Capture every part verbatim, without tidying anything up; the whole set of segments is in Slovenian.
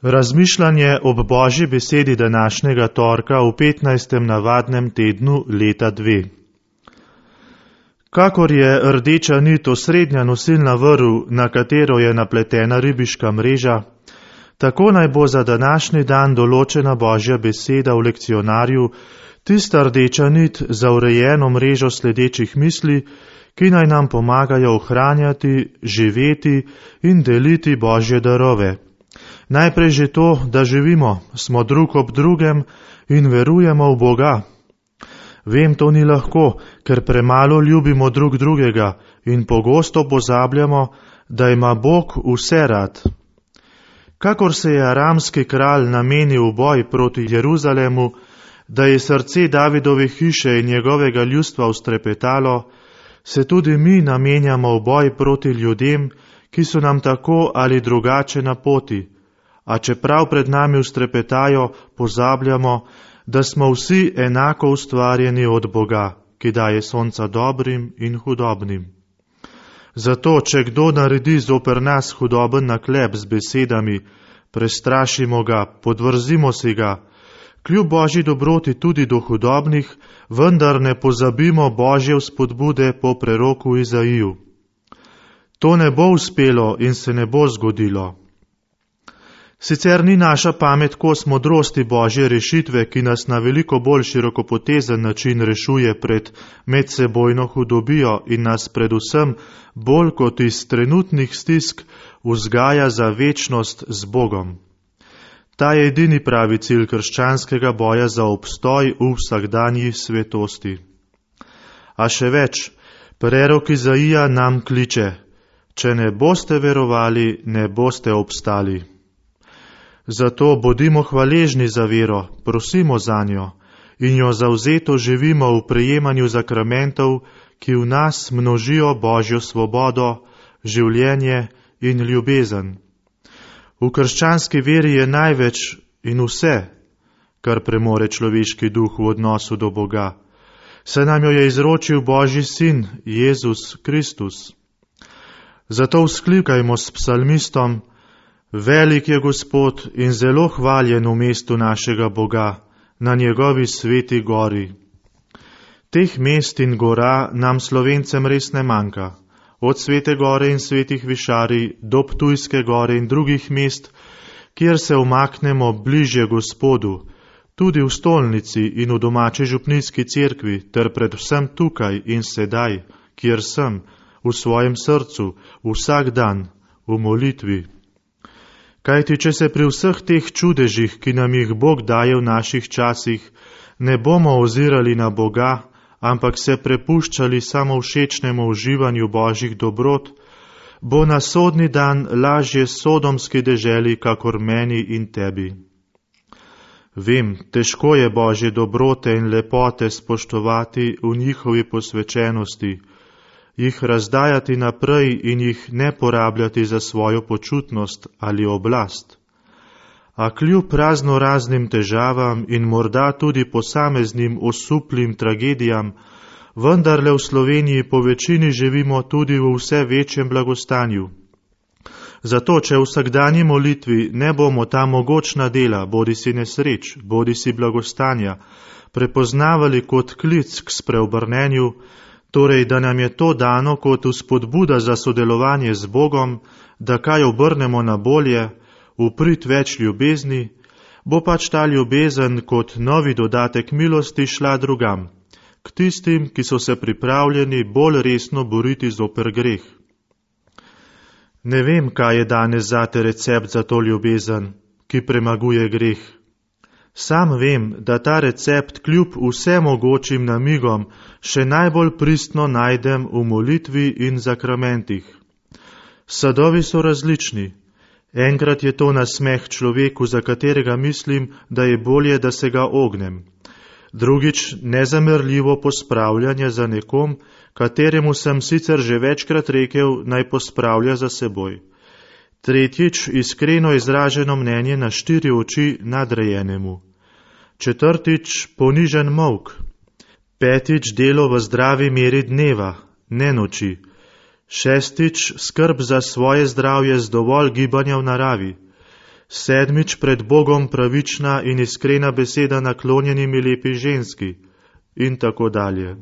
Razmišljanje ob Božji besedi današnjega torka v petnajstem navadnem tednu leta dve. Kakor je rdeča nit osrednja nosilna vrv, na katero je napletena ribiška mreža, tako naj bo za današnji dan določena Božja beseda v lekcionarju, tista rdeča nit za urejeno mrežo sledečih misli, ki naj nam pomagajo ohranjati, živeti in deliti Božje darove. Najprej že to, da živimo, smo drug ob drugem in verujemo v Boga. Vem, to ni lahko, ker premalo ljubimo drug drugega in pogosto pozabljamo, da ima Bog vse rad. Kakor se je aramski kralj namenil v boj proti Jeruzalemu, da je srce Davidove hiše in njegovega ljudstva ustrepetalo, se tudi mi namenjamo v boj proti ljudem, ki so nam tako ali drugače na poti, a čeprav pred nami ustrepetajo, pozabljamo, da smo vsi enako ustvarjeni od Boga, ki daje sonca dobrim in hudobnim. Zato, če kdo naredi zoper nas hudoben naklep z besedami, prestrašimo ga, podvrzimo si ga, kljub Božji dobroti tudi do hudobnih, vendar ne pozabimo Božje vzpodbude po preroku Izaiju. To ne bo uspelo in se ne bo zgodilo. Sicer ni naša pamet kos modrosti Božje rešitve, ki nas na veliko bolj širokopotezen način rešuje pred medsebojno hudobijo in nas predvsem bolj kot iz trenutnih stisk vzgaja za večnost z Bogom. Ta je edini pravi cilj krščanskega boja za obstoj v vsakdanji svetosti. A še več, prerok Izaija nam kliče: če ne boste verovali, ne boste obstali. Zato bodimo hvaležni za vero, prosimo za njo in jo zavzeto živimo v prejemanju zakramentov, ki v nas množijo Božjo svobodo, življenje in ljubezen. V krščanski veri je največ in vse, kar premore človeški duh v odnosu do Boga. Saj nam jo je izročil Božji sin, Jezus Kristus. Zato vzklikajmo s psalmistom: velik je Gospod in zelo hvaljen v mestu našega Boga, na njegovi sveti gori. Teh mest in gora nam Slovencem res ne manjka. Od Svete gore in svetih višarij do Ptujske gore in drugih mest, kjer se umaknemo bližje Gospodu, tudi v stolnici in v domači župnijski cerkvi, ter predvsem tukaj in sedaj, kjer sem, v svojem srcu, vsak dan, v molitvi. Kajti, če se pri vseh teh čudežih, ki nam jih Bog daje v naših časih, ne bomo ozirali na Boga, ampak se prepuščali samo všečnemu uživanju Božjih dobrot, bo na sodni dan lažje sodomski deželi, kakor meni in tebi. Vem, težko je Božje dobrote in lepote spoštovati v njihovi posvečenosti, jih razdajati naprej in jih ne porabljati za svojo počutnost ali oblast. A kljub razno raznim težavam in morda tudi posameznim osuplim tragedijam, vendarle v Sloveniji po večini živimo tudi v vse večjem blagostanju. Zato, če v vsakdanji molitvi ne bomo ta mogočna dela, bodi si nesreč, bodi si blagostanja, prepoznavali kot klic k spreobrnenju, torej, da nam je to dano kot vzpodbuda za sodelovanje z Bogom, da kaj obrnemo na bolje, v prid več ljubezni, bo pač ta ljubezen kot novi dodatek milosti šla drugam, k tistim, ki so se pripravljeni bolj resno boriti zoper greh. Ne vem, kaj je danes zate recept za to ljubezen, ki premaguje greh. Sam vem, da ta recept kljub vsemogočim namigom še najbolj pristno najdem v molitvi in zakramentih. Sadovi so različni. Enkrat je to nasmeh človeku, za katerega mislim, da je bolje, da se ga ognem. Drugič nezamrljivo pospravljanje za nekom, kateremu sem sicer že večkrat rekel, naj pospravlja za seboj. Tretjič iskreno izraženo mnenje na štiri oči nadrejenemu. Četrtič ponižen molk. Petič delo v zdravi meri dneva, ne noči. Šestič, skrb za svoje zdravje z dovolj gibanja v naravi. Sedmič, pred Bogom pravična in iskrena beseda naklonjenimi lepi ženski in tako dalje.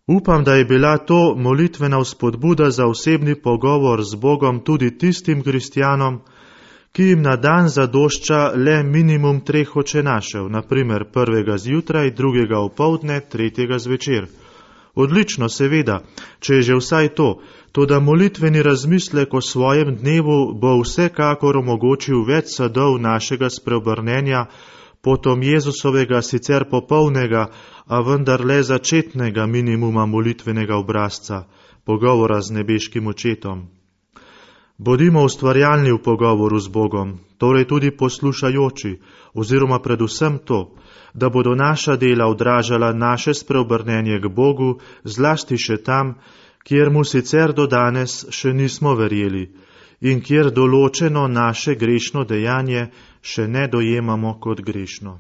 Upam, da je bila to molitvena vzpodbuda za osebni pogovor z Bogom tudi tistim kristjanom, ki jim na dan zadošča le minimum treh očenašev, naprimer prvega zjutraj, drugega opoldne, tretjega zvečer. Odlično, seveda, če je že vsaj to, toda molitveni razmislek o svojem dnevu bo vsekakor omogočil več sadov našega spreobrnenja, potom Jezusovega sicer popolnega, a vendar le začetnega minimuma molitvenega obrazca, pogovora z nebeškim očetom. Bodimo ustvarjalni v pogovoru z Bogom, torej tudi poslušajoči, oziroma predvsem to, da bodo naša dela odražala naše spreobrnenje k Bogu, zlasti še tam, kjer mu sicer do danes še nismo verjeli in kjer določeno naše grešno dejanje še ne dojemamo kot grešno.